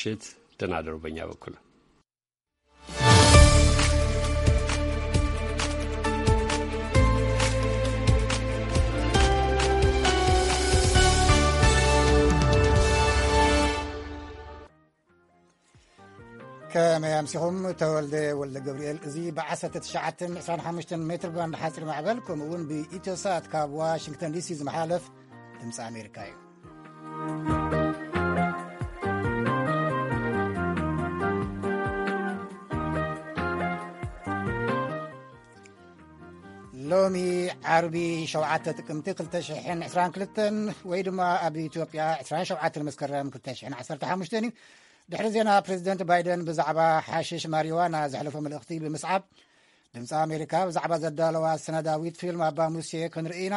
ምሽት ደህና ደሩ በእኛ በኩል። ከመይ ኣምሲኹም? ተወልደ ወልደ ገብርኤል። እዚ ብ19 25 ሜትር ባንድ ሓፂር ማዕበል፣ ከምኡ እውን ብኢትዮሳት ካብ ዋሽንግተን ዲሲ ዝመሓለፍ ድምፂ ኣሜሪካ እዩ። ሎሚ ዓርቢ 7 ጥቅምቲ 2022 ወይ ድማ ኣብ ኢትዮጵያ 27 መስከረም 2015 እዩ። ድሕሪ ዜና፣ ፕሬዚደንት ባይደን ብዛዕባ ሓሽሽ ማሪዋና ዘሕለፎ መልእኽቲ ብምስዓብ፣ ድምፂ ኣሜሪካ ብዛዕባ ዘዳለዋ ሰነዳዊት ፊልም ኣባ ሙሴ ክንርኢ ኢና።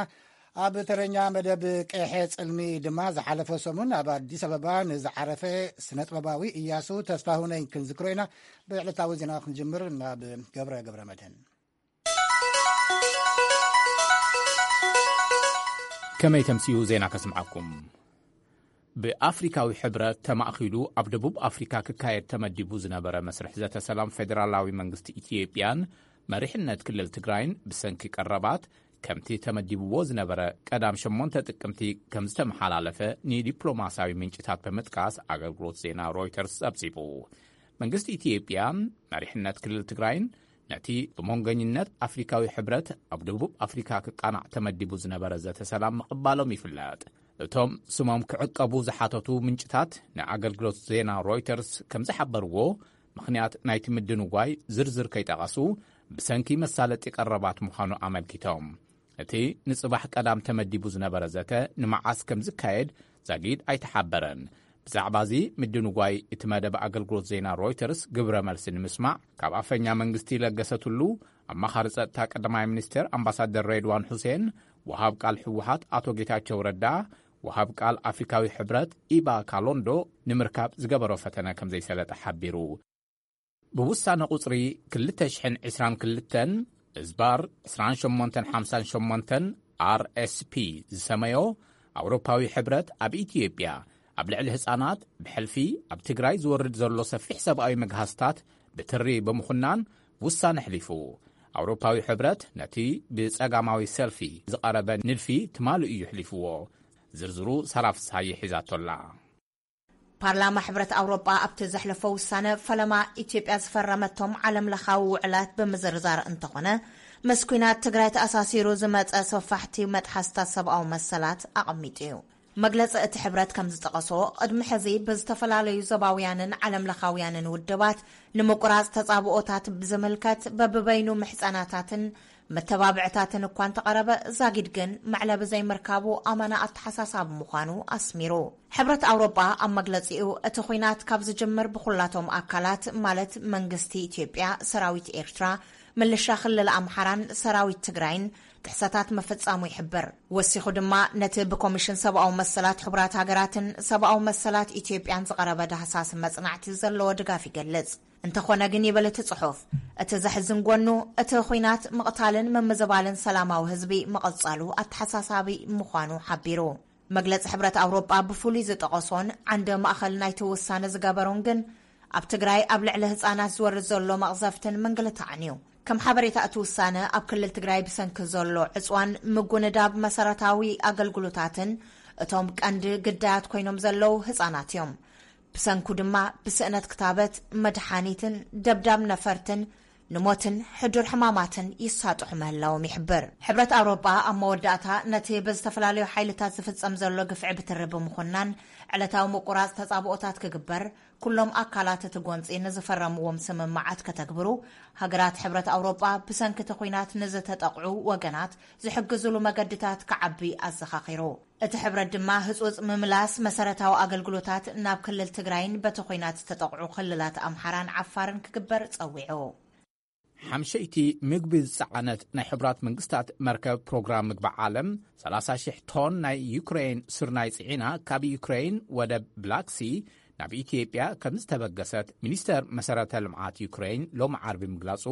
ኣብ ተረኛ መደብ ቀይሐ ጽልሚ ድማ ዝሓለፈ ሰሙን ኣብ ኣዲስ ኣበባ ንዝዓረፈ ስነ ጥበባዊ እያሱ ተስፋሁነኝ ክንዝክሮ ኢና። ብዕለታዊ ዜና ክንጅምር ናብ ገብረ ገብረ መድህን። ከመይ ተምስዩ ዜና ከስምዓኩም። ብኣፍሪካዊ ሕብረት ተማእኪሉ ኣብ ደቡብ ኣፍሪካ ክካየድ ተመዲቡ ዝነበረ መስርሕ ዘተ ሰላም ፌደራላዊ መንግስቲ ኢትዮጵያን መሪሕነት ክልል ትግራይን ብሰንኪ ቀረባት ከምቲ ተመዲብዎ ዝነበረ ቀዳም ሸሞንተ ጥቅምቲ ከም ዝተመሓላለፈ ንዲፕሎማሲያዊ ምንጭታት ብምጥቃስ ኣገልግሎት ዜና ሮይተርስ ጸብጺቡ። መንግስቲ ኢትዮጵያን መሪሕነት ክልል ትግራይን ነቲ ብመንጎኝነት ኣፍሪካዊ ሕብረት ኣብ ደቡብ ኣፍሪካ ክቃናዕ ተመዲቡ ዝነበረ ዘተ ሰላም ምቕባሎም ይፍለጥ። እቶም ስሞም ክዕቀቡ ዝሓተቱ ምንጭታት ንኣገልግሎት ዜና ሮይተርስ ከም ዝሓበርዎ፣ ምኽንያት ናይቲ ምድንጓይ ዝርዝር ከይጠቐሱ ብሰንኪ መሳለጢ ቀረባት ምዃኑ ኣመልኪቶም። እቲ ንጽባሕ ቀዳም ተመዲቡ ዝነበረ ዘተ ንመዓስ ከም ዝካየድ ዛጊድ ኣይተሓበረን። ብዛዕባ እዚ ምድንጓይ እቲ መደብ ኣገልግሎት ዜና ሮይተርስ ግብረ መልሲ ንምስማዕ ካብ ኣፈኛ መንግስቲ ለገሰ ቱሉ፣ ኣማኻሪ ጸጥታ ቀዳማይ ሚኒስትር ኣምባሳደር ሬድዋን ሁሴን፣ ወሃብ ቃል ህወሓት ኣቶ ጌታቸው ረዳ፣ ወሃብ ቃል ኣፍሪካዊ ሕብረት ኢባ ካሎንዶ ንምርካብ ዝገበሮ ፈተነ ከም ዘይሰለጠ ሓቢሩ። ብውሳነ ቁጽሪ 2022 እዝባር 2858 ኣር ኤስ ፒ ዝሰመዮ ኣውሮፓዊ ሕብረት ኣብ ኢትዮጵያ ኣብ ልዕሊ ህጻናት ብሕልፊ ኣብ ትግራይ ዝወርድ ዘሎ ሰፊሕ ሰብኣዊ መግሃስታት ብትሪ ብምኹናን ውሳነ ኣሕሊፉ። ኣውሮፓዊ ሕብረት ነቲ ብጸጋማዊ ሰልፊ ዝቐረበ ንድፊ ትማሊ እዩ ኣሕሊፍዎ። ዝርዝሩ ሳራ ፍስሃየ ሒዛቶላ። ፓርላማ ሕብረት ኣውሮጳ ኣብቲ ዘሕለፎ ውሳነ፣ ፈለማ ኢትዮጵያ ዝፈረመቶም ዓለም ለኻዊ ውዕላት ብምዝርዛር እንተኾነ፣ ምስ ኲናት ትግራይ ተኣሳሲሩ ዝመጸ ሰፋሕቲ መጥሓስታት ሰብኣዊ መሰላት ኣቐሚጡ እዩ። መግለጺ እቲ ሕብረት ከም ዝጠቐሶ፣ ቅድሚ ሕዚ ብዝተፈላለዩ ዞባውያንን ዓለም ለኻውያንን ውድባት ንምቁራጽ ተጻብኦታት ብዝምልከት በብበይኑ ምሕጸናታትን መተባብዕታትን እኳ እንተቐረበ፣ ዛጊድ ግን መዕለቢ ዘይምርካቡ ኣመና ኣተሓሳሳቢ ምዃኑ ኣስሚሩ። ሕብረት ኣውሮጳ ኣብ መግለጺኡ፣ እቲ ኲናት ካብ ዝጅምር ብኹላቶም ኣካላት፣ ማለት መንግስቲ ኢትዮጵያ፣ ሰራዊት ኤርትራ፣ ምልሻ ክልል ኣምሓራን ሰራዊት ትግራይን ጥሕሰታት ምፍጻሙ ይሕብር። ወሲኹ ድማ፣ ነቲ ብኮሚሽን ሰብኣዊ መሰላት ሕቡራት ሃገራትን ሰብኣዊ መሰላት ኢትዮጵያን ዝቐረበ ዳህሳስ መጽናዕቲ ዘለዎ ድጋፍ ይገልጽ። እንተኾነ ግን፣ ይብል እቲ ጽሑፍ፣ እቲ ዘሕዝን ጎኑ፣ እቲ ኹናት ምቕታልን ምምዝባልን ሰላማዊ ህዝቢ ምቕጻሉ ኣተሓሳሳቢ ምዃኑ ሓቢሩ። መግለጺ ሕብረት ኣውሮጳ ብፍሉይ ዝጠቐሶን ዓንደ ማእኸል ናይቲ ውሳነ ዝገበሮን ግን፣ ኣብ ትግራይ ኣብ ልዕሊ ህጻናት ዝወርድ ዘሎ መቕዘፍትን ምንግልታዕን እዩ። ከም ሓበሬታ፣ እቲ ውሳነ ኣብ ክልል ትግራይ ብሰንኪ ዘሎ ዕጽዋን ምጉንዳብ መሰረታዊ ኣገልግሎታትን፣ እቶም ቀንዲ ግዳያት ኮይኖም ዘለዉ ህጻናት እዮም። ብሰንኩ ድማ ብስእነት ክታበት፣ መድሓኒትን ደብዳብ ነፈርትን ንሞትን ሕዱር ሕማማትን ይሳጥሑ ምህላዎም ይሕብር። ሕብረት ኣውሮጳ ኣብ መወዳእታ፣ ነቲ ብዝተፈላለዩ ሓይልታት ዝፍጸም ዘሎ ግፍዒ ብትሪ ብምኹናን፣ ዕለታዊ ምቁራጽ ተጻብኦታት ክግበር፣ ኩሎም ኣካላት እቲ ጎንጺ ንዝፈረምዎም ስምምዓት ከተግብሩ፣ ሃገራት ሕብረት ኣውሮጳ ብሰንኪ እቲ ኲናት ንዝተጠቕዑ ወገናት ዝሕግዝሉ መገድታት ክዓቢ ኣዘኻኺሩ። እቲ ሕብረት ድማ፣ ህጹጽ ምምላስ መሰረታዊ ኣገልግሎታት ናብ ክልል ትግራይን በቲ ኲናት ዝተጠቕዑ ክልላት ኣምሓራን ዓፋርን ክግበር ጸዊዑ። ሓምሸይቲ ምግቢ ዝጸዓነት ናይ ሕቡራት መንግስታት መርከብ ፕሮግራም ምግቢ ዓለም፣ 30,000 ቶን ናይ ዩክሬን ስርናይ ጽዒና ካብ ዩክሬን ወደብ ብላክሲ ናብ ኢትዮጵያ ከም ዝተበገሰት ሚኒስተር መሰረተ ልምዓት ዩክሬን ሎሚ ዓርቢ ምግላጹ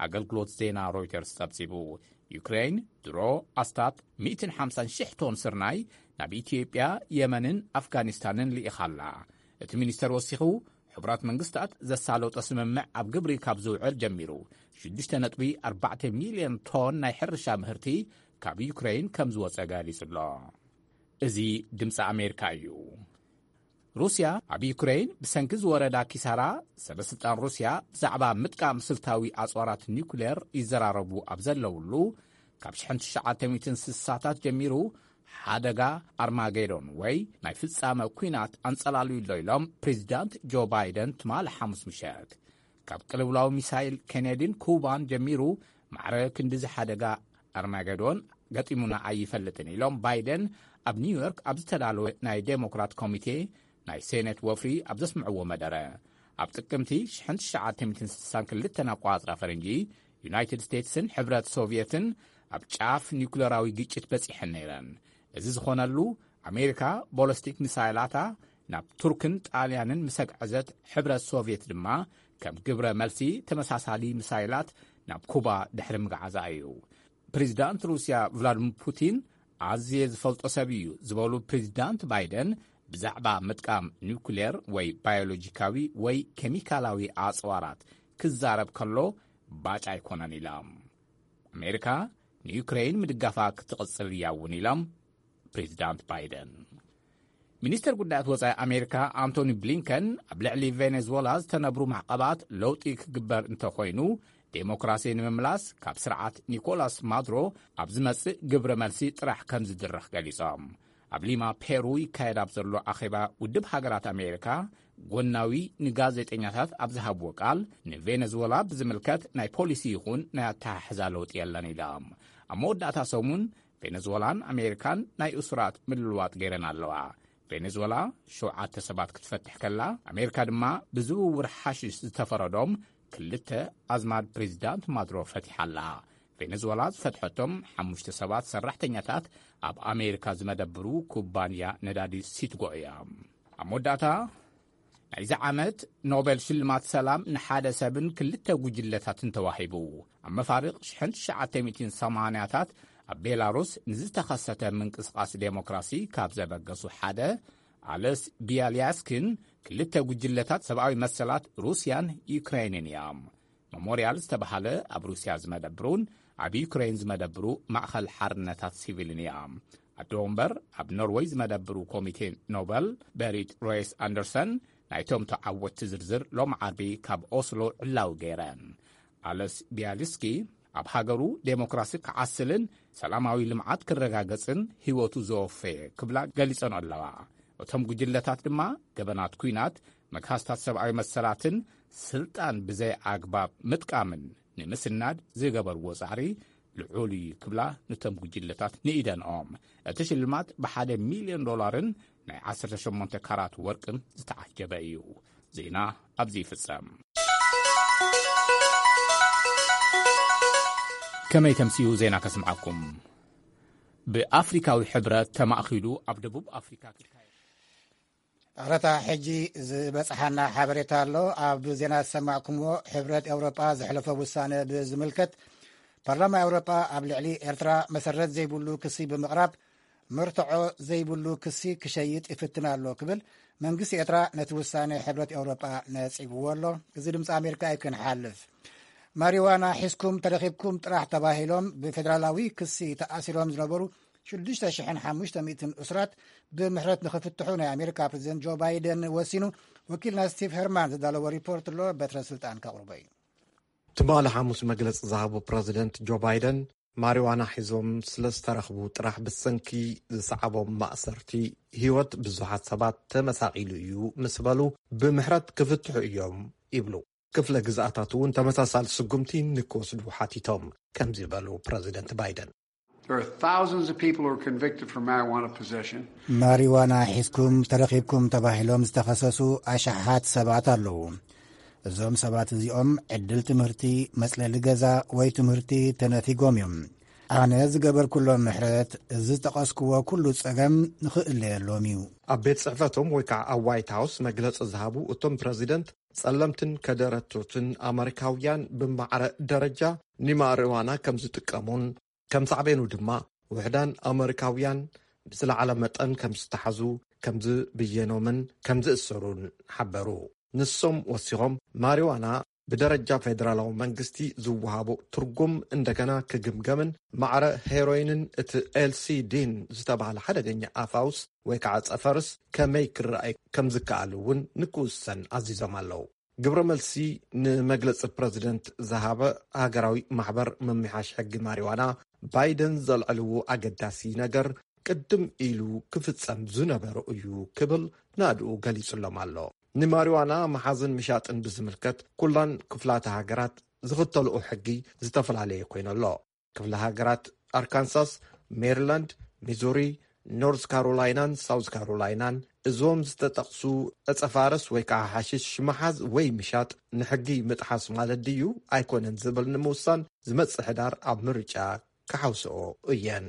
ኣገልግሎት ዜና ሮይተርስ ጸብጺቡ። ዩክሬን ድሮ ኣስታት 150,000 ቶን ስርናይ ናብ ኢትዮጵያ፣ የመንን ኣፍጋኒስታንን ልኢኻ ኣላ። እቲ ሚኒስተር ወሲኹ፣ ሕቡራት መንግስታት ዘሳለጦ ስምምዕ ኣብ ግብሪ ካብ ዝውዕል ጀሚሩ፣ ሽዱሽተ ነጥቢ ኣርባዕተ ሚልዮን ቶን ናይ ሕርሻ ምህርቲ ካብ ዩክሬን ከም ዝወጸ ገሊጹ ኣሎ። እዚ ድምፂ ኣሜሪካ እዩ። ሩስያ ኣብ ዩክሬን ብሰንኪ ዝወረዳ ኪሳራ፣ ሰበስልጣን ሩስያ ብዛዕባ ምጥቃም ስልታዊ ኣፅዋራት ኒውክሌር ይዘራረቡ ኣብ ዘለውሉ፣ ካብ ሽሕን ትሽዓተ ሚእትን ስሳታት ጀሚሩ ሓደጋ ኣርማጌዶን ወይ ናይ ፍጻመ ኲናት ኣንጸላልዩ ኣሎ ኢሎም ፕሬዚዳንት ጆ ባይደን ትማሊ ሓሙስ ምሸት። ካብ ቅልውላው ሚሳይል ኬኔዲን ኩባን ጀሚሩ ማዕረ ክንድዚ ሓደጋ ኣርማጌዶን ገጢሙና ኣይፈልጥን ኢሎም ባይደን ኣብ ኒውዮርክ ኣብ ዝተዳለወ ናይ ዴሞክራት ኮሚቴ ናይ ሴኔት ወፍሪ ኣብ ዘስምዕዎ መደረ። ኣብ ጥቅምቲ ሽሕን ትሽዓተ ሚእትን ስሳን ክልተን ኣቋጽራ ፈረንጂ፣ ዩናይትድ ስቴትስን ሕብረት ሶቭየትን ኣብ ጫፍ ኒውክለራዊ ግጭት በጺሐን ነይረን። እዚ ዝኾነሉ፣ ኣሜሪካ ቦለስቲክ ሚሳይላታ ናብ ቱርክን ጣልያንን ምስ ኣግዐዘት፣ ሕብረት ሶቭየት ድማ ከም ግብረ መልሲ ተመሳሳሊ ሚሳይላት ናብ ኩባ ድሕሪ ምግዓዛ እዩ። ፕሬዚዳንት ሩስያ ቭላድሚር ፑቲን ኣዝየ ዝፈልጦ ሰብ እዩ ዝበሉ ፕሬዚዳንት ባይደን፣ ብዛዕባ ምጥቃም ኒውክሌር ወይ ባዮሎጂካዊ ወይ ኬሚካላዊ ኣጽዋራት ክዛረብ ከሎ ባጫ ኣይኮነን ኢሎም። ኣሜሪካ ንዩክሬን ምድጋፋ ክትቕጽል እያ እውን ኢሎም ፕሬዚዳንት ባይደን። ሚኒስተር ጉዳያት ወጻኢ ኣሜሪካ ኣንቶኒ ብሊንከን ኣብ ልዕሊ ቬኔዙዌላ ዝተነብሩ ማዕቐባት ለውጢ ክግበር እንተኾይኑ፣ ዴሞክራሲ ንምምላስ ካብ ስርዓት ኒኮላስ ማዱሮ ኣብ ዝመጽእ ግብረ መልሲ ጥራሕ ከም ዝድረኽ ገሊጾም። ኣብ ሊማ ፔሩ ይካየድ ኣብ ዘሎ ኣኼባ ውድብ ሃገራት ኣሜሪካ፣ ጎናዊ ንጋዜጠኛታት ኣብ ዝሃብዎ ቃል፣ ንቬኔዙዌላ ብዝምልከት ናይ ፖሊሲ ይኹን ናይ ኣተሓሕዛ ለውጢ የለን ኢሎም። ኣብ መወዳእታ ሰሙን ቬኔዙዌላን ኣሜሪካን ናይ እሱራት ምልልዋጥ ገይረን ኣለዋ። ቬኔዙዌላ ሸውዓተ ሰባት ክትፈትሕ ከላ፣ ኣሜሪካ ድማ ብዝውውር ሓሽሽ ዝተፈረዶም ክልተ ኣዝማድ ፕሬዚዳንት ማዱሮ ፈቲሓ ኣላ። ቬኔዙዌላ ዝፈትሐቶም ሓሙሽተ ሰባት ሰራሕተኛታት ኣብ ኣሜሪካ ዝመደብሩ ኩባንያ ነዳዲ ሲትጎ እዮም። ኣብ መወዳእታ፣ ናይዚ ዓመት ኖቤል ሽልማት ሰላም ንሓደ ሰብን ክልተ ጉጅለታትን ተዋሂቡ። ኣብ መፋርቕ ሽሕን ትሽዓተ ሚእትን ሰማንያታት ኣብ ቤላሩስ ንዝተኸሰተ ምንቅስቓስ ዴሞክራሲ ካብ ዘበገሱ ሓደ፣ ኣለስ ቢያልያስኪን ክልተ ጉጅለታት ሰብኣዊ መሰላት ሩስያን ዩክሬንን እዮም። መሞርያል ዝተባህለ ኣብ ሩስያ ዝመደብሩን ኣብ ዩክሬን ዝመደብሩ ማእኸል ሓርነታት ሲቪልን እዮም። ኣዶ ወንበር ኣብ ኖርወይ ዝመደብሩ ኮሚቴ ኖበል በሪት ሮይስ ኣንደርሰን ናይቶም ተዓወትቲ ዝርዝር ሎም ዓርቢ ካብ ኦስሎ ዕላዊ ገይረን። ኣለስ ቢያልስኪ ኣብ ሃገሩ ዴሞክራሲ ክዓስልን ሰላማዊ ልምዓት ክረጋገጽን ህይወቱ ዘወፈየ ክብላ ገሊጸን ኣለዋ። እቶም ጉጅለታት ድማ ገበናት ኲናት፣ መግሃስታት ሰብኣዊ መሰላትን ስልጣን ብዘይ ኣግባብ ምጥቃምን ንምስናድ ዝገበርዎ ጻዕሪ ልዑል እዩ ክብላ ነቶም ጉጅለታት ንኢደንኦም። እቲ ሽልማት ብሓደ ሚልዮን ዶላርን ናይ ዓሰርተ ሸሞንተ ካራት ወርቅን ዝተዓጀበ እዩ። ዜና ኣብዚ ይፍጸም። ከመይ ተምስዩ ዜና ከስምዓኩም። ብኣፍሪካዊ ሕብረት ተማእኪሉ ኣብ ደቡብ ኣፍሪካ ክካየድ ኣረታ ሕጂ ዝበጽሓና ሓበሬታ ኣሎ። ኣብ ዜና ዝሰማዕኩምዎ፣ ሕብረት ኤውሮጳ ዘሕለፎ ውሳነ ብዝምልከት፣ ፓርላማ ኤውሮጳ ኣብ ልዕሊ ኤርትራ መሰረት ዘይብሉ ክሲ ብምቕራብ፣ መርትዖ ዘይብሉ ክሲ ክሸይጥ ይፍትን ኣሎ ክብል መንግስቲ ኤርትራ ነቲ ውሳነ ሕብረት ኤውሮጳ ነጺግዎ ኣሎ። እዚ ድምፂ ኣሜሪካ እዩ። ክንሓልፍ፣ ማሪዋና ሒዝኩም ተረኺብኩም ጥራሕ ተባሂሎም ብፌደራላዊ ክሲ ተኣሲሮም ዝነበሩ ሽዱሽተ ሽሕን ሓሙሽተ ሚእትን እሱራት ብምሕረት ንኽፍትሑ ናይ ኣሜሪካ ፕሬዚደንት ጆ ባይደን ወሲኑ። ወኪልና ስቲቭ ሄርማን ዝዳለዎ ሪፖርት ኣሎ፣ በትረ ስልጣን ከቕርቦ እዩ። ትማሊ ሓሙስ መግለጺ ዝሃቡ ፕረዚደንት ጆ ባይደን፣ ማሪዋና ሒዞም ስለ ዝተረኽቡ ጥራሕ ብሰንኪ ዝሰዓቦም ማእሰርቲ ህይወት ብዙሓት ሰባት ተመሳቒሉ እዩ ምስ በሉ፣ ብምሕረት ክፍትሑ እዮም ይብሉ። ክፍለ ግዝኣታት እውን ተመሳሳሊ ስጉምቲ ንክወስዱ ሓቲቶም፣ ከምዚ በሉ ፕረዚደንት ባይደን። There are thousands of people who are convicted for marijuana possession. ማሪዋና ሒዝኩም ተረኺብኩም ተባሂሎም ዝተኸሰሱ ኣሽሓት ሰባት ኣለዉ። እዞም ሰባት እዚኦም ዕድል ትምህርቲ፣ መጽለሊ ገዛ ወይ ትምህርቲ ተነፊጎም እዮም። ኣነ ዝገበርኩሎም ምሕረት፣ እዚ ዝጠቐስክዎ ኩሉ ጸገም ንኽእለየሎም እዩ። ኣብ ቤት ጽሕፈቶም ወይ ከዓ ኣብ ዋይት ሃውስ መግለጺ ዝሃቡ እቶም ፕረዚደንት፣ ጸለምትን ከደረቶትን ኣመሪካውያን ብማዕረ ደረጃ ንማሪዋና ከም ዝጥቀሙን ከም ሳዕቤኑ ድማ ውሕዳን ኣመሪካውያን ብዝለዓለ መጠን ከም ዝተሓዙ፣ ከም ዝብየኖምን ከም ዝእሰሩን ሓበሩ። ንሶም ወሲኾም፣ ማሪዋና ብደረጃ ፌደራላዊ መንግስቲ ዝወሃቦ ትርጉም እንደገና ክግምገምን ማዕረ ሄሮይንን እቲ ኤልሲዲን ዝተባህለ ሓደገኛ ኣፋውስ ወይ ከዓ ጸፈርስ ከመይ ክረኣይ ከም ዝከኣል እውን ንክውሰን ኣዚዞም ኣለዉ። ግብረ መልሲ ንመግለጺ ፕረዚደንት ዝሃበ ሃገራዊ ማሕበር ምምሕያሽ ሕጊ ማሪዋና፣ ባይደን ዘልዐልዎ ኣገዳሲ ነገር ቅድም ኢሉ ክፍጸም ዝነበሮ እዩ ክብል ናድኡ ገሊጹሎም ኣሎ። ንማሪዋና መሓዝን ምሻጥን ብዝምልከት ኩላን ክፍላተ ሃገራት ዝኽተልኦ ሕጊ ዝተፈላለየ ኮይኑ ኣሎ። ክፍለ ሃገራት ኣርካንሳስ፣ ሜሪላንድ፣ ሚዙሪ፣ ኖርዝ ካሮላይናን ሳውዝ ካሮላይናን እዞም ዝተጠቕሱ ዕጸፋረስ ወይ ከዓ ሓሽሽ ምሓዝ ወይ ምሻጥ ንሕጊ ምጥሓስ ማለት ድዩ ኣይኮነን ዝብል ንምውሳን ዝመጽእ ሕዳር ኣብ ምርጫ ክሓውስኦ እየን።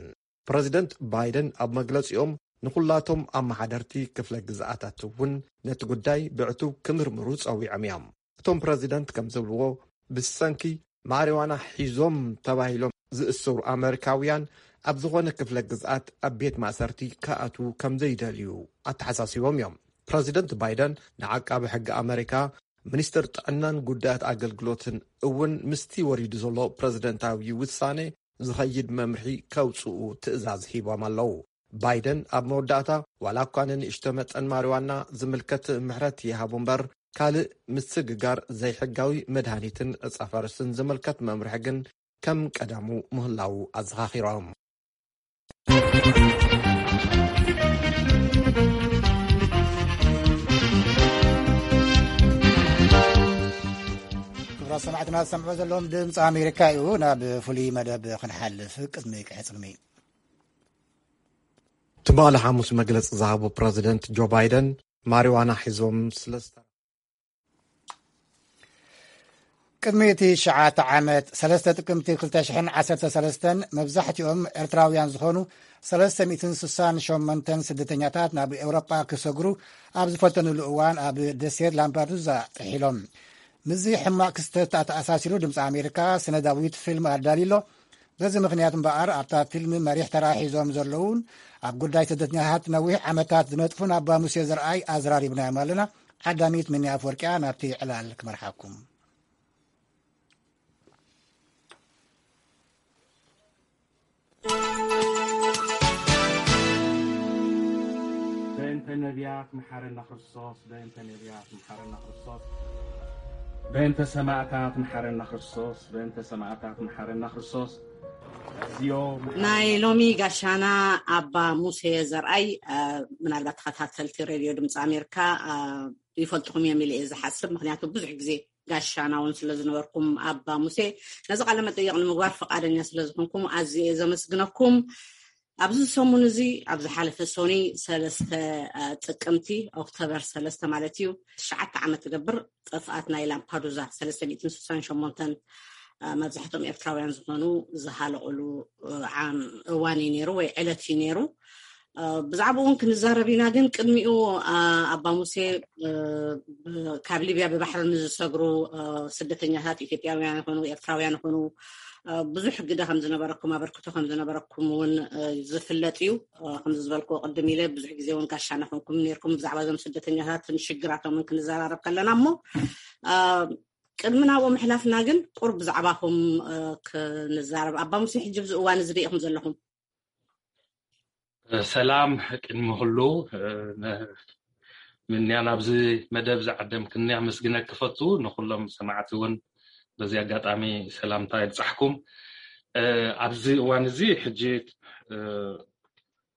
ፕረዚደንት ባይደን ኣብ መግለጺኦም ንኹላቶም ኣመሓደርቲ ክፍለ ግዝኣታት እውን ነቲ ጉዳይ ብዕቱብ ክምርምሩ ጸዊዖም እዮም። እቶም ፕረዚደንት ከም ዝብልዎ ብሰንኪ ማሪዋና ሒዞም ተባሂሎም ዝእሰሩ ኣመሪካውያን ኣብ ዝኾነ ክፍለ ግዝኣት ኣብ ቤት ማእሰርቲ ክኣትዉ ከም ዘይደልዩ ኣተሓሳሲቦም እዮም። ፕረዚደንት ባይደን ንዓቃቢ ሕጊ ኣመሪካ፣ ሚኒስትር ጥዕናን ጉዳያት ኣገልግሎትን እውን ምስቲ ወሪዱ ዘሎ ፕረዚደንታዊ ውሳኔ ዝኸይድ መምርሒ ከውፅኡ ትእዛዝ ሂቦም ኣለዉ። ባይደን ኣብ መወዳእታ ዋላ እኳ ንንእሽቶ መጠን ማሪዋና ዝምልከት ምሕረት ይሃቡ እምበር ካልእ ምስግጋር ዘይሕጋዊ መድሃኒትን ዕፃፈርስን ዝምልከት መምርሒ ግን ከም ቀደሙ ምህላዉ ኣዘኻኺሮም። ክቡራት ሰማዕትና ዝሰምዑ ዘለዎም ድምፂ ኣሜሪካ እዩ። ናብ ፍሉይ መደብ ክንሓልፍ ቅድሚ ቅሕፅልሚ ትማሊ ሓሙስ መግለፂ ዝሃቡ ፕረዚደንት ጆ ባይደን ማሪዋና ሒዞም ስለ ዝተ ቅድሚ እቲ ሸዓተ ዓመት ሰለስተ ጥቅምቲ ክልተ ሽሕን ዓሰርተ ሰለስተን መብዛሕትኦም ኤርትራውያን ዝኾኑ ሰለስተ ሚእትን ስሳን ሸሞንተን ስደተኛታት ናብ ኤውሮጳ ክሰግሩ ኣብ ዝፈተኑሉ እዋን ኣብ ደሴት ላምፓዱዛ ጥሒሎም። ምስዚ ሕማቕ ክስተት ተኣሳሲሩ ድምፂ ኣሜሪካ ስነዳዊት ፊልም ኣዳልዩሎ። በዚ ምኽንያት እምበኣር ኣብታ ፊልም መሪሕ ተራ ሒዞም ዘለውን ኣብ ጉዳይ ስደተኛታት ነዊሕ ዓመታት ዝነጥፉን ኣባ ሙሴ ዘርኣይ ኣዘራሪብናዮም ኣለና። ዓዳሚት ምንያ ኣፍወርቅያ ናብቲ ዕላል ክመርሓኩም። በእንተ ነቢያት መሓረና ክርስቶስ፣ በእንተ ነቢያት መሓረና ክርስቶስ፣ በእንተ ሰማዕታት መሓረና ክርስቶስ፣ በእንተ ሰማዕታት መሓረና ክርስቶስ። እዚኦ ናይ ሎሚ ጋሻና ኣባ ሙሴ ዘርኣይ፣ እ፣ ምናልባት ተኸታተልቲ ሬድዮ ድምፂ ኣሜሪካ፣ እ፣ ይፈልጥኹም እዮም ኢለ እየ ዝሓስብ። ምኽንያቱ ብዙሕ ግዜ ጋሻና እውን ስለ ዝነበርኩም ኣባ ሙሴ፣ ነዚ ቃለ መጠይቕ ንምግባር ፈቓደኛ ስለ ዝኾንኩም ኣዝየ እየ ዘመስግነኩም። ኣብዚ ሰሙን እዚ፣ ኣብ ዝሓለፈ ሰኑይ ሰለስተ፣ እ፣ ጥቅምቲ፣ ኦክቶበር ሰለስተ ማለት እዩ፣ ትሽዓተ ዓመት ትገብር ጥፍኣት ናይ ላምፓዱዛ ሰለስተ ሚእትን ስሳን ሸሞንተን፣ እ፣ መብዛሕትኦም ኤርትራውያን ዝኾኑ ዝሃለቑሉ፣ እ፣ ዓም-፣ እዋን እዩ ነይሩ ወይ ዕለት እዩ ነይሩ። እ፣ ብዛዕባኡ እውን ክንዛረብ ኢና፣ ግን ቅድሚኡ፣ እ፣ ኣባ ሙሴ፣ እ፣ ብ-፣ ካብ ሊብያ ብባሕሪ ንዝሰግሩ፣ እ፣ ስደተኛታት ኢትዮጵያውያን ይኹኑ ኤርትራውያን ይኹኑ፣ እ፣ ብዙሕ ግደ ከም ዝነበረኩም፣ ኣበርክቶ ከም ዝነበረኩም እውን፣ እ፣ ዝፍለጥ እዩ። እ፣ ከምዚ ዝበልክዎ ቅድም ኢለ ብዙሕ ግዜ እውን ጋሻና ኮንኩም ነይርኩም። ብዛዕባ እዞም ስደተኛታትን ሽግራቶምን ክንዘራረብ ከለና እሞ፣ እ፣ ቅድሚ ናብኡ ምሕላፍና ግን ቁሩብ ብዛዕባኹም፣ እ፣ ክንዛረብ። ኣባ ሙሴ፣ ሕጂ ኣብዚ እዋን እዚ ዶ ኢኹም ዘለኹም? ሰላም፣ ቅድሚ ኩሉ፣ እ፣ ነ-፣ ምንያ ናብዚ መደብ ዝዓደምክኒ ኣመስግነኪ እፈቱ። ንኹሎም ሰማዕቲ እውን በዚ ኣጋጣሚ ሰላምታ ይብጻሕኩም። እ፣ ኣብዚ እዋን እዚ ሕጂ፣ እ፣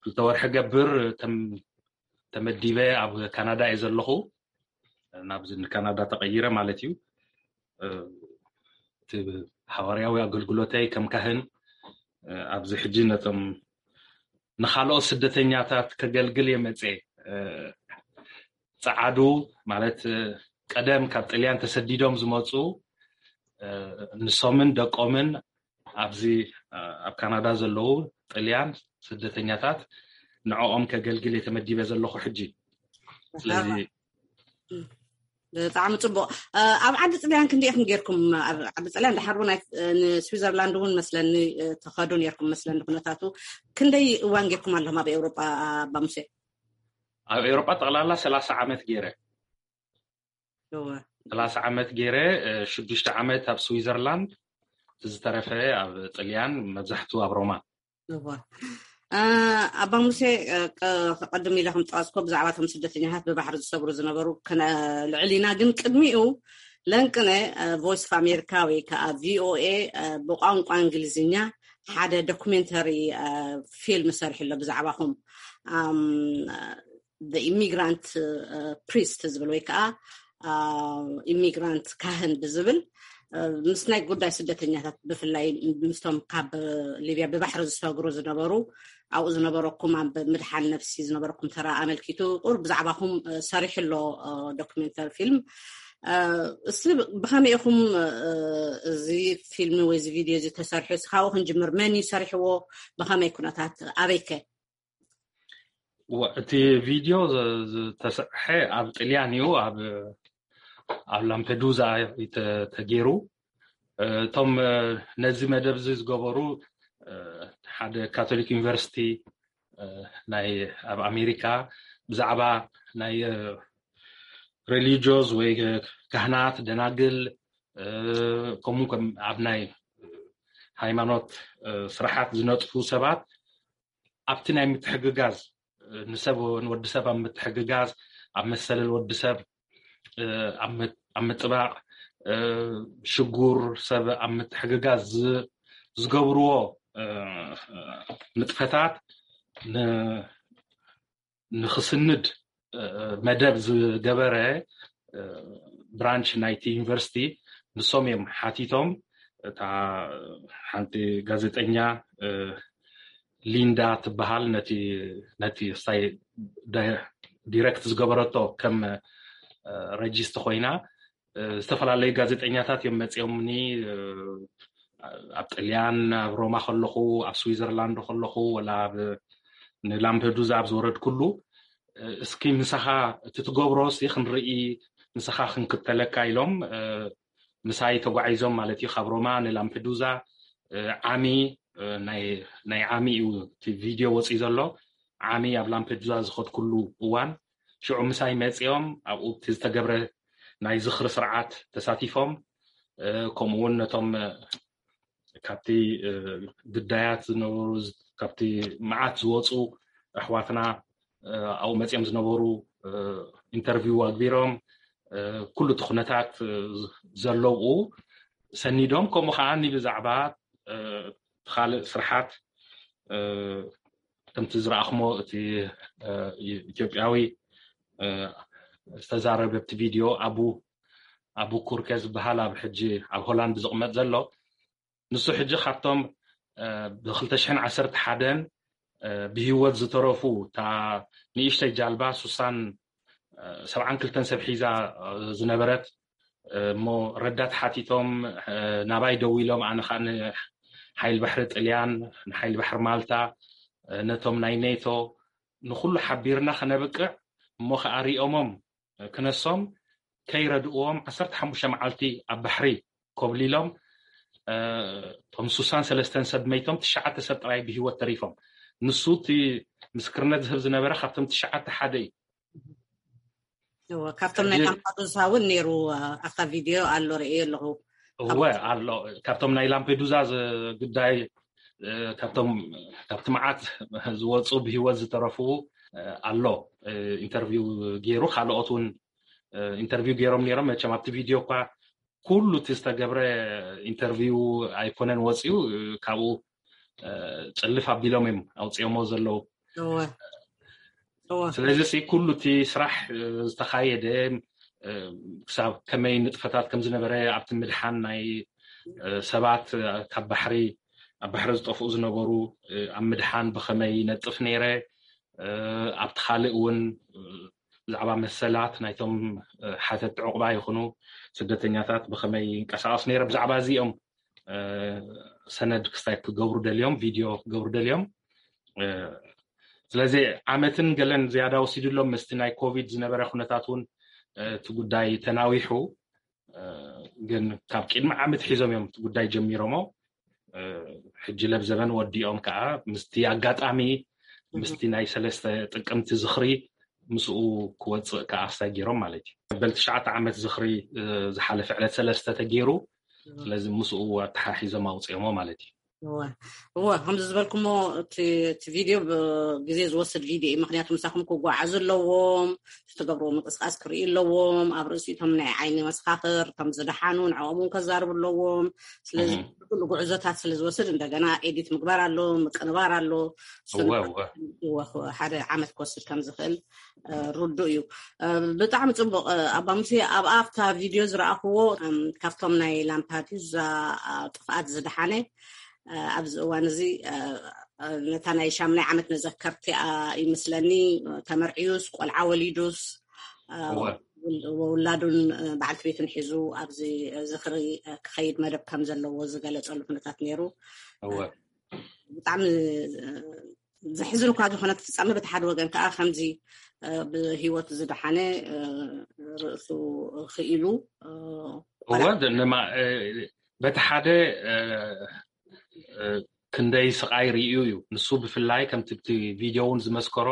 ክልተ ወርሒ ገብር ተም-፣ ተመዲበ ኣብ ካናዳ እየ ዘለኹ። ናብዚ ንካናዳ ተቐይረ ማለት እዩ። እ፣ እቲ ሃዋርያዊ ኣገልግሎተይ ከም ካህን፣ እ፣ ኣብዚ ሕጂ ነቶም ንኻልኦት ስደተኛታት ከገልግል እየ መጽየ። እ፣ ጸዓዱ ማለት፣ እ፣ ቀደም ካብ ጥልያን ተሰዲዶም ዝመጹ፣ እ፣ ንሶምን ደቆምን ኣብዚ፣ እ፣ ኣብ ካናዳ ዘለዉ ጥልያን ስደተኛታት ንዕኦም ከገልግል እየ ተመዲበ ዘለኹ ሕጂ። ስለዚ ብጣዕሚ ጽቡቕ። እ፣ ኣብ ዓዲ ጥልያን ክንደይ ኢኹም ጌርኩም? ኣብ ዓዲ ጥልያን ድሓር እውን ኣይ-፣ እ፣ ንስዊዘርላንድ እውን መስለኒ፣ እ፣ ትኸዱ ኔርኩም መስለኒ ኩነታቱ። ክንደይ እዋን ጌርኩም ኣለኹም ኣብ ኤውሮጳ፣ ኣባ ሙሴ? ኣብ ኤውሮጳ ጠቕላላ ሰላሳ ዓመት ጌረ። ሰላሳ ዓመት ገይረ፣ ሽዱሽተ ዓመት ኣብ ስዊዘርላንድ፣ ዝተረፈ ኣብ ጥልያን፣ መብዛሕቱ ኣብ ሮማ። ኣባ ሙሴ፣ ቀድም ኢለ ከም ጠቀስኮ ብዛዕባ ቶም ስደተኛታት ብባሕሪ ዝሰግሩ ዝነበሩ ልዕሊና፣ ግን ቅድሚኡ ለንቅነ ቮይስ ኦፍ ኣሜሪካ ወይ ከዓ ቪኦኤ ብቋንቋ እንግሊዝኛ ሓደ ዶኩሜንተሪ ፊልም ሰርሑ ኣሎ ብዛዕባኹም፣ ኢሚግራንት ፕሪስት ዝብል ወይ ከዓ ኢሚግራንት ካህን ብዝብል ምስ ናይ ጉዳይ ስደተኛታት፣ ብፍላይ ምስቶም ካብ ሊብያ ብባሕሪ ዝሰግሩ ዝነበሩ፣ ኣብኡ ዝነበረኩም ኣብ ምድሓን ነፍሲ ዝነበረኩም ተራ ኣመልኪቱ ቁር ብዛዕባኹም ሰሪሑ ኣሎ ዶክሜንተሪ ፊልም። እስቲ ብኸመይ ኢኹም እዚ ፊልም ወይ እዚ ቪድዮ እዚ ተሰርሑ? እስካብኡ ክንጅምር፣ መን እዩ ሰሪሕዎ? ብኸመይ ኩነታት? ኣበይከ? እቲ ቪድዮ ዝተሰሐ ኣብ ጥልያን እዩ፣ ኣብ ኣብ ላምፔዱዛ ተገይሩ። እቶም ነዚ መደብ እዚ ዝገበሩ ሓደ ካቶሊክ ዩኒቨርሲቲ ናይ ኣብ ኣሜሪካ ብዛዕባ ናይ ሬሊጆስ ወይ ካህናት፣ ደናግል፣ ከምኡ ከም ኣብ ናይ ሃይማኖት ስራሓት ዝነጥፉ ሰባት ኣብቲ ናይ ምትሕግጋዝ፣ ንሰብ ንወዲ ሰብ ኣብ ምትሕግጋዝ፣ ኣብ መሰለል ወዲ ሰብ ኣብ ምጥባቕ፣ ሽጉር ሰብ ኣብ ምትሕግጋዝ ዝገብርዎ ንጥፈታት ንክስንድ መደብ ዝገበረ ብራንች ናይቲ ዩኒቨርሲቲ፣ ንሶም እዮም ሓቲቶም። እታ ሓንቲ ጋዜጠኛ ሊንዳ ትበሃል፣ ነቲ ነቲ ሳይ ዳይ- ዲረክት ዝገበረቶ ከም ረጂስት ኮይና፣ ዝተፈላለዩ ጋዜጠኛታት እዮም መፂኦምኒ። ኣብ ጥልያን ኣብ ሮማ ከለኹ፣ ኣብ ስዊዘርላንድ ከለኹ፣ ወላ ኣብ ንላምፔዱዛ ኣብ ዝወረድኩሉ፣ እስኪ ምሳኻ እቲ ትገብሮ ሲ ክንርኢ፣ ምሳኻ ክንክተለካ ኢሎም ምሳይ ተጓዒዞም ማለት እዩ። ካብ ሮማ ንላምፔዱዛ ዓሚ ናይ ዓሚ እዩ እቲ ቪድዮ ወፂኡ ዘሎ። ዓሚ ኣብ ላምፔዱዛ ዝኸድኩሉ እዋን ሽዑ ምሳይ መፂኦም ኣብኡ እቲ ዝተገብረ ናይ ዝኽሪ ስርዓት ተሳቲፎም፣ ከምኡ እውን ነቶም ካብቲ ግዳያት ዝነበሩ፣ ካብቲ መዓት ዝወፁ ኣሕዋትና ኣብኡ መፂኦም ዝነበሩ ኢንተርቪው ኣግቢሮም፣ ኩሉ እቲ ኩነታት ዘለውኡ ሰኒዶም፣ ከምኡ ከዓ ብዛዕባ ካልእ ስርሓት ከምቲ ዝረኣኽሞ እቲ ኢትዮጵያዊ ዝተዛረበ ኣብቲ ቪድዮ ኣቡ ኣቡ ኩርኬ ዝበሃል ኣብ ሕጂ ኣብ ሆላንድ ዝቕመጥ ዘሎ፣ ንሱ ሕጂ ካብቶም ብ ክልተ ሽሕን ዓሰርተ ሓደን ብህይወት ዝተረፉ፣ እታ ንእሽተይ ጃልባ ሱሳን ሰብዓን ክልተን ሰብ ሒዛ ዝነበረት፣ እሞ ረዳት ሓቲቶም ናባይ ደው ኢሎም፣ ኣነ ከዓ ንሓይል ባሕሪ ጥልያን፣ ንሓይል ባሕሪ ማልታ፣ ነቶም ናይ ኔቶ፣ ንኩሉ ሓቢርና ከነብቅዕ፣ እሞ ከዓ ሪኦሞም ክነሶም ከይረድእዎም ዓሰርተ ሓሙሽተ መዓልቲ ኣብ ባሕሪ ኮብሊሎም፣ እቶም ሱሳን ሰለስተን ሰብ መይቶም፣ ትሽዓተ ሰብ ጥራይ ብህይወት ተሪፎም። ንሱ እቲ ምስክርነት ዝህብ ዝነበረ ካብቶም ትሽዓተ ሓደ እዩ። እወ፣ ካብቶም ናይ ላምፓዱሳ እውን ነይሩ፣ ኣብታ ቪድዮ ኣሎ፣ ርእየ ኣለኹ። እወ ኣሎ። ካብቶም ናይ ላምፔዱዛ ዝ- ጉዳይ፣ ካብቶም ካብቲ መዓት ዝወፁ ብህይወት ዝተረፉ ኣሎ። ኢንተርቪው ገይሩ፣ ካልኦት እውን ኢንተርቪው ገይሮም ነይሮም። መቸም ኣብቲ ቪድዮ እኳ ኩሉ እቲ ዝተገብረ ኢንተርቪው ኣይኮነን ወፂኡ፣ ካብኡ ጭልፍ ኣቢሎም እዮም ኣውፅኦሞ ዘለዉ። ስለዚ ኩሉ እቲ ስራሕ ዝተኻየደ፣ ክሳብ ከመይ ንጥፈታት ከም ዝነበረ፣ ኣብቲ ምድሓን ናይ ሰባት ካብ ባሕሪ፣ ኣብ ባሕሪ ዝጠፍኡ ዝነበሩ ኣብ ምድሓን ብኸመይ ነጥፍ ነይረ፣ ኣብቲ ካልእ እውን ብዛዕባ መሰላት ናይቶም ሓተቲ ዕቑባ ይኹኑ ስደተኛታት ብኸመይ ይንቀሳቐስ ነይረ፣ ብዛዕባ እዚኦም ሰነድ ክስታይ ክገብሩ ደልዮም፣ ቪድዮ ክገብሩ ደልዮም። ስለዚ ዓመትን ገለን ዝያዳ ወሲድሎም፣ ምስቲ ናይ ኮቪድ ዝነበረ ኩነታት እውን እቲ ጉዳይ ተናዊሑ። ግን ካብ ቅድሚ ዓመት ሒዞም እዮም እቲ ጉዳይ ጀሚሮሞ። ሕጂ ለብዘበን ወዲኦም ከዓ ምስቲ ኣጋጣሚ፣ ምስቲ ናይ ሰለስተ ጥቅምቲ ዝኽሪ ምስኡ ክወፅእ ከዓ ኣስታይ ገይሮም ማለት እዩ። በል ትሽዓተ ዓመት ዝኽሪ ዝሓለፈ ዕለት ሰለስተ ተገይሩ። ስለዚ ምስኡ ኣተሓሒዞም ኣውፅኦሞ ማለት እዩ። እወ፣ ከምዚ ዝበልኩሞ እቲ ቪድዮ ግዜ ዝወስድ ቪድዮ እዩ። ምክንያቱ ምሳኹም ክጓዓዙ ኣለዎም፣ ዝትገብርዎ ምንቅስቃስ ክርኢ ኣለዎም። ኣብ ርእሲቶም ናይ ዓይኒ መሰኻኽር እቶም ዝደሓኑ ንዕኦም እውን ከዛርቡ ኣለዎም። ስለዚ ኩሉ ጉዕዞታት ስለ ዝወስድ እንደገና ኤዲት ምግባር ኣሎ፣ ምቅንባር ኣሎ። ሓደ ዓመት ክወስድ ከም ዝኽእል ርዱእ እዩ። ብጣዕሚ ፅቡቕ ኣባ ሙሴ። ኣብ ኣብታ ቪድዮ ዝረኣኽዎ ካብቶም ናይ ላምፓዱዛ ጥፍኣት ዝደሓነ ኣብዚ እዋን እዚ ነታ ናይ ሻምናይ ዓመት መዘከርቲኣ ይመስለኒ፣ ተመርዕዩስ ቆልዓ ወሊዱስ ውላዱን በዓልቲ ቤቱን ሒዙ ኣብዚ ዝኽሪ ክኸይድ መደብ ከም ዘለዎ ዝገለጸሉ ኩነታት ነይሩ። ብጣዕሚ ዘሕዝን እኳ ዝኾነ እቲ ፍጻመ፣ በቲ ሓደ ወገን ከዓ ከምዚ ብህይወቱ ዝደሓነ ርእሱ ክኢሉ እወ። በቲ ሓደ ክንደይ ስቓይ ርእዩ እዩ። ንሱ ብፍላይ ከምቲ እቲ ቪድዮ እውን ዝመስከሮ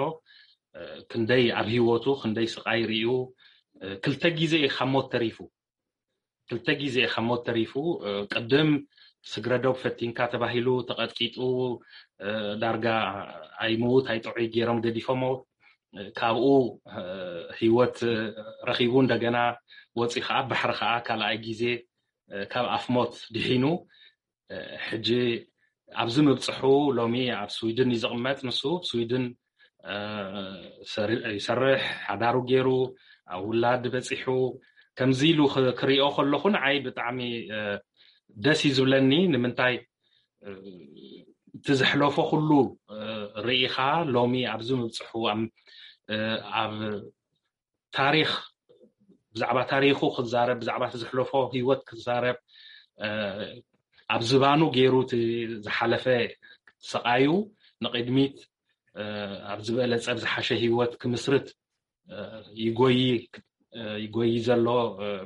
ክንደይ ኣብ ህይወቱ ክንደይ ስቓይ ርእዩ፣ ክልተ ግዜ እዩ ካብ ሞት ተሪፉ። ክልተ ግዜ ካብ ሞት ተሪፉ። ቅድም ስግረዶብ ፈቲንካ ተባሂሉ ተቐጥቂጡ፣ ዳርጋ ኣይምውት ኣይጥዑይ ገይሮም ገዲፎሞ። ካብኡ ህይወት ረኺቡ እንደገና ወፂኡ ከዓ ባሕሪ ከዓ ካልኣይ ግዜ ካብ ኣፍ ሞት ድሒኑ ሕጂ ኣብዚ ምብፅሑ ሎሚ ኣብ ስዊድን እዩ ዝቕመጥ። ንሱ ስዊድን ይሰርሕ፣ ሓዳሩ ገይሩ ኣብ ውላድ በፂሑ። ከምዚ ኢሉ ክሪኦ ከለኹ ንዓይ ብጣዕሚ ደስ እዩ ዝብለኒ። ንምንታይ እቲ ዘሕለፎ ኩሉ ርኢኻ ሎሚ ኣብዚ ምብፅሑ ኣብ ታሪኽ ብዛዕባ ታሪኹ ክዛረብ፣ ብዛዕባ እቲ ዘሕለፎ ህይወት ክዛረብ፣ ኣብ ዝባኑ ገይሩ እቲ ዝሓለፈ ስቓዩ ንቕድሚት ኣብ ዝበለጸ ብዝሓሸ ህይወት ክምስርት ይጎይ ይጎይ ዘሎ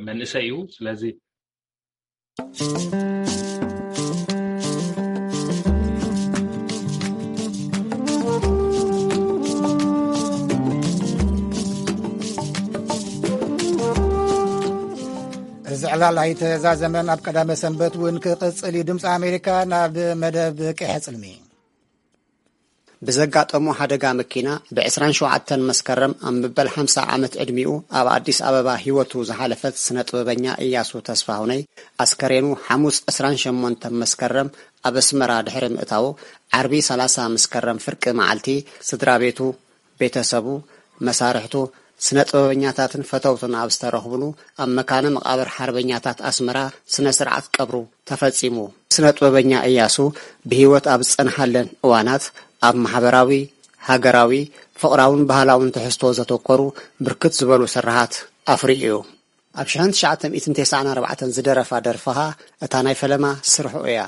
መንእሰይ እዩ። ስለዚ እዚ ዕላል ኣይተዛዘመን። ኣብ ቀዳመ ሰንበት እውን ክቕጽል እዩ። ድምፂ ኣሜሪካ ናብ መደብ ቅሐ ጽልሚ። ብዘጋጠሞ ሓደጋ መኪና ብ ዕስራን ሸውዓተን መስከረም ኣብ መበል ሓምሳ ዓመት ዕድሚኡ ኣብ ኣዲስ ኣበባ ህይወቱ ዝሓለፈት ስነ ጥበበኛ እያሱ ተስፋሁነይ ኣስከሬኑ ሓሙስ ዕስራን ሸሞንተን መስከረም ኣብ ኣስመራ ድሕሪ ምእታዉ ዓርቢ ሰላሳ መስከረም ፍርቂ መዓልቲ ስድራ ቤቱ፣ ቤተሰቡ፣ መሳርሕቱ፣ ስነ ጥበበኛታትን ፈተውቱን ኣብ ዝተረኽብሉ ኣብ መካነ መቓብር ሓርበኛታት ኣስመራ ስነ ስርዓት ቀብሩ ተፈጺሙ። ስነ ጥበበኛ እያሱ ብህይወት ኣብ ዝጸንሓለን እዋናት ኣብ ማሕበራዊ፣ ሃገራዊ፣ ፍቕራውን ባህላውን ትሕዝቶ ዘተኮሩ ብርክት ዝበሉ ስርሓት ኣፍርዩ እዩ። ኣብ ሽሕን ትሽዓተ ሚእትን ተስዓን ኣርባዕተን ዝደረፋ ደርፍኻ እታ ናይ ፈለማ ስርሑ እያ።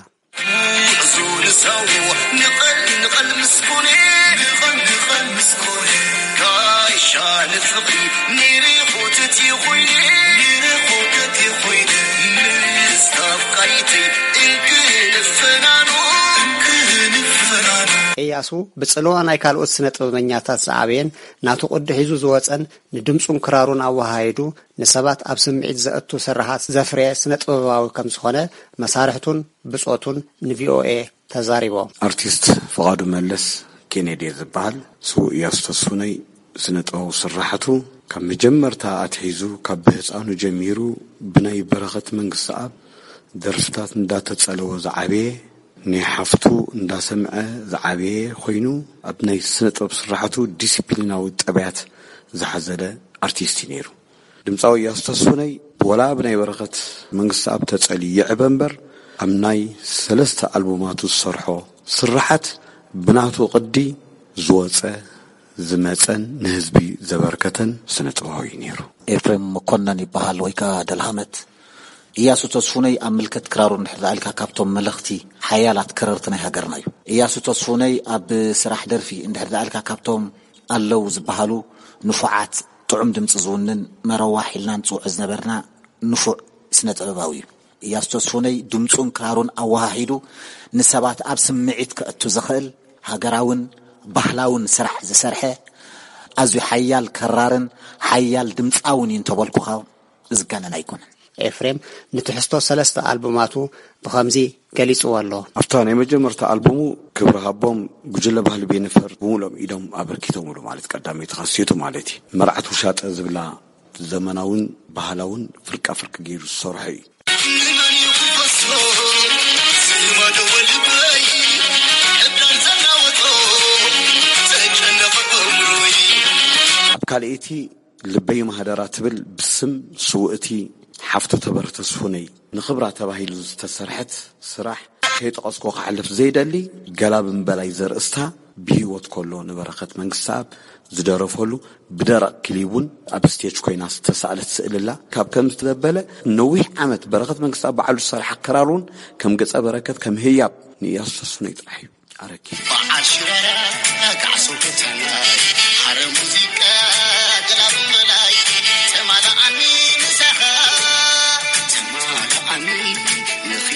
እያሱ ብጽልዋ ናይ ካልኦት ስነ ጥበበኛታት ዝዓበየን ናቱ ቅዲ ሒዙ ዝወጸን ንድምጹን ክራሩን ኣወሃሂዱ ንሰባት ኣብ ስምዒት ዘእቱ ስርሓት ዘፍረየ ስነ ጥበባዊ ከም ዝኾነ መሳርሕቱን ብጾቱን ን ቪ ኦ ኤ ተዛሪቦም። ኣርቲስት ፍቓዱ መለስ ኬኔዲ ዝበሃል ስዉእ እያሱ ተስፉነይ ስነ ጥበባዊ ስራሕቱ ካብ መጀመርታ ኣትሒዙ ካብ ብህፃኑ ጀሚሩ ብናይ በረኸት መንግስተኣብ ደርፍታት እንዳተጸለወ ዝዓበየ ናይ ሓፍቱ እንዳሰምዐ ዝዓበየ ኮይኑ ኣብ ናይ ስነ ጥበብ ስራሕቱ ዲሲፕሊናዊ ጠባያት ዝሓዘለ ኣርቲስት እዩ ነይሩ። ድምፃዊ እያሱ ተስፉነይ ወላ ብናይ በረኸት መንግስተኣብ ተጸልዩ ይዕበ እምበር ኣብ ናይ ሰለስተ ኣልቡማቱ ዝሰርሖ ስርሓት ብናቱ ቅዲ ዝወፀ ዝመፀን ንህዝቢ ዘበርከተን ስነ ጥበባዊ እዩ ነይሩ። ኤፍሬም መኮነን ይበሃል ወይ ከዓ ደልሃመት። እያሱ ተስፉነይ ኣብ ምልከት ክራሩ እንድሕር ደኣ ኢልካ ካብቶም መለኽቲ ሓያላት ከረርቲ ናይ ሃገርና እዩ። እያሱ ተስፉነይ ኣብ ስራሕ ደርፊ እንድሕር ደኣ ኢልካ ካብቶም ኣለዉ ዝበሃሉ ንፉዓት ጥዑም ድምፂ ዝውንን መረዋሕ ኢልና ንፅውዖ ዝነበርና ንፉዕ ስነ ጥበባዊ እዩ። እያሱ ተስፉነይ ድምፁን ክራሩን ኣወሃሂዱ ንሰባት ኣብ ስምዒት ከእቱ ዝኽእል ሃገራውን ባህላውን ስራሕ ዝሰርሐ ኣዝዩ ሓያል ከራርን ሓያል ድምፃውን እዩ እንተበልኩኻ ዝጋነን ኣይኮነን። ኤፍሬም ንትሕዝቶ ሰለስተ ኣልቡማቱ ብኸምዚ ገሊጽዎ ኣሎ። ኣብታ ናይ መጀመርታ ኣልቡሙ ክብሪ ሃቦም፣ ጉጅለ ባህሊ ቤንፈር ብምሉኦም ኢዶም ኣበርኪቶምሉ፣ ማለት ቀዳመይቲ ካሴቱ ማለት እዩ። መርዓት ውሻጠ ዝብላ ዘመናውን ባህላውን ፍርቃ ፍርቂ ገይሩ ዝሰርሖ እዩ። ኣብ ካልኣይቲ ልበይ ማህደራ ትብል ብስም ስውእቲ ሓፍቱ ተበረ ተስፉነይ ንኽብራ ተባሂሉ ዝተሰርሐት ስራሕ ከይጠቐስኩ ክሓልፍ ዘይደሊ፣ ገላ ብምበላይ ዘርእስታ ብህይወት ከሎ ንበረኸት መንግስተኣብ ዝደረፈሉ ብደረቕ ክሊብ እውን ኣብ ስቴጅ ኮይና ዝተሳእለት ስእልላ ካብ ከም ዝተበለ ነዊሕ ዓመት በረኸት መንግስተኣብ ባዕሉ ዝሰርሓ ክራር እውን ከም ገጸ በረከት ከም ህያብ ንእያሱ ተስፉነይ ጥራሕ እዩ ኣረኪቡ። በዓል ሽራራ ካዕሶ ከተማይ ሓረ ሙዚቃ ገላብ መላይ ተማላኣኒ ንሳኻ ተማላኣኒ ንኺ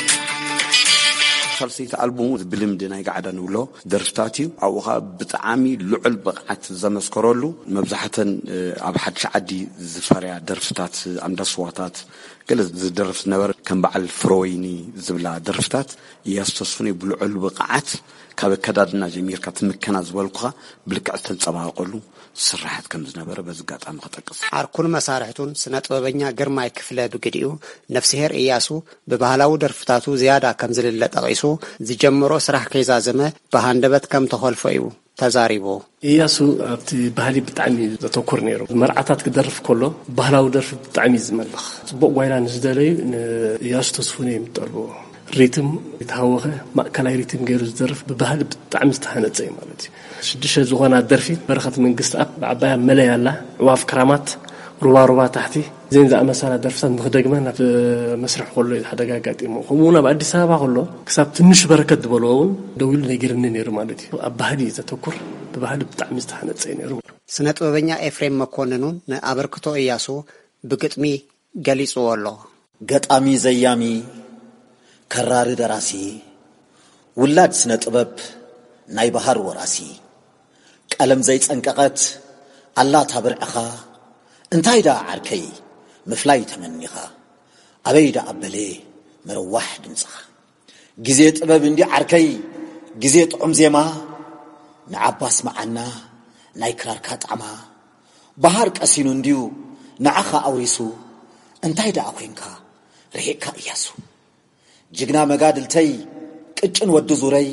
ሳልሰይቲ ኣልቡሙ ብልምዲ ናይ ጋዕዳ ንብሎ ደርፍታት እዩ። ኣብኡ ኸዓ ብጣዕሚ ልዑል ብቕዓት ዘመስከረሉ፣ መብዛሕተን ኣብ ሓድሽ ዓዲ ዝፈርያ ደርፍታት፣ ኣንዳስዋታት፣ ገለ ዝደርፍ ዝነበረ ከም በዓል ፍረወይኒ ዝብላ ደርፍታት እያሱ ተስፉነይ ብልዑል ብቕዓት ካብ ኣከዳድና ጀሚርካ ትምከና ዝበልኩኻ ብልክዕ ዝተንጸባረቐሉ ስርሓት ከም ዝነበረ በዚ ኣጋጣሚ ክጠቅስ። ዓርኩን መሳርሕቱን ስነ ጥበበኛ ግርማይ ክፍለ ብግዲኡ፣ ነፍስሄር እያሱ ብባህላዊ ደርፍታቱ ዝያዳ ከም ዝልለ ጠቒሱ፣ ዝጀመሮ ስራሕ ከይዛዘመ ብሃንደበት ከም ተኾልፎ እዩ ተዛሪቡ። እያሱ ኣብቲ ባህሊ ብጣዕሚ እዩ ዘተኩር ነይሩ። መርዓታት ክደርፍ ከሎ ባህላዊ ደርፊ ብጣዕሚ እዩ ዝመልኽ። ጽቡቕ ጓይላ ንዝደለዩ ንእያሱ ተስፉነይ እዮም ዝጠልብዎ። ሪትም የተሃወኸ ማእከላይ ሪትም ገይሩ ዝደርፍ ብባህሊ ብጣዕሚ ዝተሃነጸ እዩ ማለት እዩ። ሽዱሽተ ዝኾና ደርፊ በረኸት መንግስተኣብ ብዓባያ መለይ ኣላ፣ ዕዋፍ ክራማት፣ ሩባ ሩባ ታሕቲ፣ እዘን ዝኣመሰላ ደርፍታት ንኽደግመን ኣብ መስርሕ ከሎ እዩ ሓደ ኣጋጣሚ። ከምኡ እውን ኣብ ኣዲስ ኣበባ ከሎ ክሳብ ትንሽ በረከት ዝበልዎ እውን ደው ኢሉ ነጊርኒ ነይሩ ማለት እዩ። ኣብ ባህሊ እዩ ዘተኩር፣ ብባህሊ ብጣዕሚ ዝተሃነጸ እዩ ነይሩ። ስነ ጥበበኛ ኤፍሬም መኮንን እውን ንኣበርክቶ እያሱ ብግጥሚ ገሊጽዎ ኣሎ። ገጣሚ፣ ዘያሚ፣ ከራሪ፣ ደራሲ፣ ውላድ ስነ ጥበብ፣ ናይ በሃር ወራሲ፣ ቀለም ዘይጸንቀቐት ኣላ ታብርዕኻ፣ እንታይ ደኣ ዓርከይ ምፍላይ ተመኒኻ፣ ኣበይ ደኣ ኣበለ ምርዋሕ ድምጽኻ። ግዜ ጥበብ እንዲ ዓርከይ፣ ግዜ ጥዑም ዜማ፣ ንዓባ ኣስምዓና ናይ ክራርካ ጣዕማ። በሃር ቀሲኑ እንድዩ ንዓኻ ኣውሪሱ፣ እንታይ ደኣ ኮይንካ ርሒቕካ እያሱ። ጅግና መጋድልተይ፣ ቅጭን ወዲ ዙረይ፣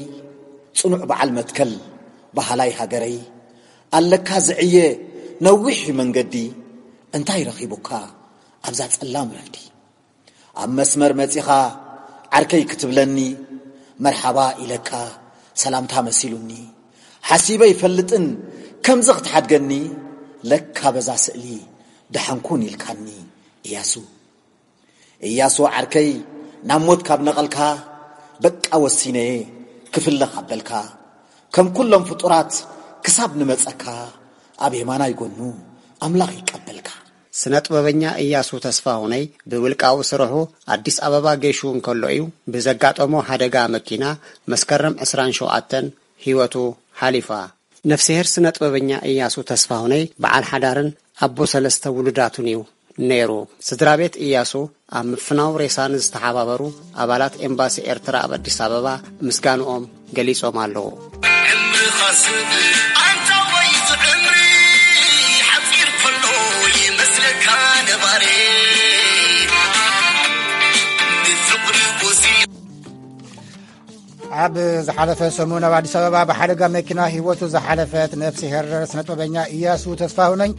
ጽኑዕ በዓል መትከል፣ በሃላይ ሃገረይ፣ ኣለካ ዝዕየ ነዊሕ መንገዲ፣ እንታይ ረኺቡካ ኣብዛ ጸላም ረፍዲ? ኣብ መስመር መጺኻ ዓርከይ ክትብለኒ፣ መርሓባ ኢለካ ሰላምታ መሲሉኒ። ሓሲበ ይፈልጥን ከምዚ ክትሓድገኒ፣ ለካ በዛ ስእሊ ደሓንኩን ኢልካኒ እያሱ። እያሱ ዓርከይ፣ ናብ ሞት ካብ ነቐልካ፣ በቃ ወሲነየ ክፍለ ካብ በልካ፣ ከም ኩሎም ፍጡራት ክሳብ ንመጸካ፣ ኣብ የማናይ ጎኑ ኣምላኽ ይቀበልካ። ስነ ጥበበኛ እያሱ ተስፋሁነይ ብውልቃዊ ስርሑ ኣዲስ ኣበባ ገይሹ እንከሎ እዩ ብዘጋጠሞ ሓደጋ መኪና መስከረም ዕስራን ሸውዓተን ህይወቱ ሓሊፋ። ነፍስሄር ስነ ጥበበኛ እያሱ ተስፋሁነይ በዓል ሓዳርን ኣቦ ሰለስተ ውሉዳቱን እዩ ነይሩ። ስድራ ቤት እያሱ ኣብ ምፍናው ሬሳ ንዝተሓባበሩ ኣባላት ኤምባሲ ኤርትራ ኣብ ኣዲስ ኣበባ ምስጋንኦም ገሊጾም ኣለዉ። ዕምርኻ ሰብ ኣንታ ወይ ዝዕምሪ ሓጺር ከሎ ይመስለካ ነባሪ። ብፍቕሪ ጎሲ ኣብ ዝሓለፈ ሰሙን ኣብ ኣዲስ ኣበባ ብሓደጋ መኪና ህይወቱ ዝሓለፈት ነፍሲ ሄር ስነ ጥበበኛ እያሱ ተስፋሁነኝ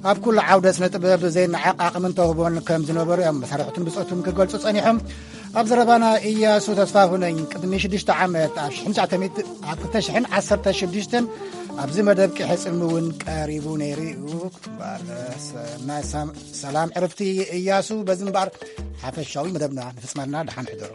ኣብ ኩሉ ዓውደ ስነ ጥበብ ዘይነዓቕ ዓቕምን ተውህቦን ከም ዝነበሩ እዮም መሳርሕቱን ብጾቱን ክገልጹ ጸኒሖም። ኣብ ዘረባና እያሱ ተስፋሁነኝ ቅድሚ ሽዱሽተ ዓመት ኣብ ሽሕን ትሽዓተ ሚእቲ ኣብ ክልተ ሽሕን ዓሰርተ ሽዱሽተን ኣብዚ መደብ ቂሐ ጽልሚ እውን ቀሪቡ ነይሩ እዩ። እምበኣር፣ ሰ-፣ ናይ ሰም-፣ ሰላም ዕርፍቲ እያሱ። በዚ እምበኣር ሓፈሻዊ መደብና ንፍጽመልና። ደሓን ሕደሩ።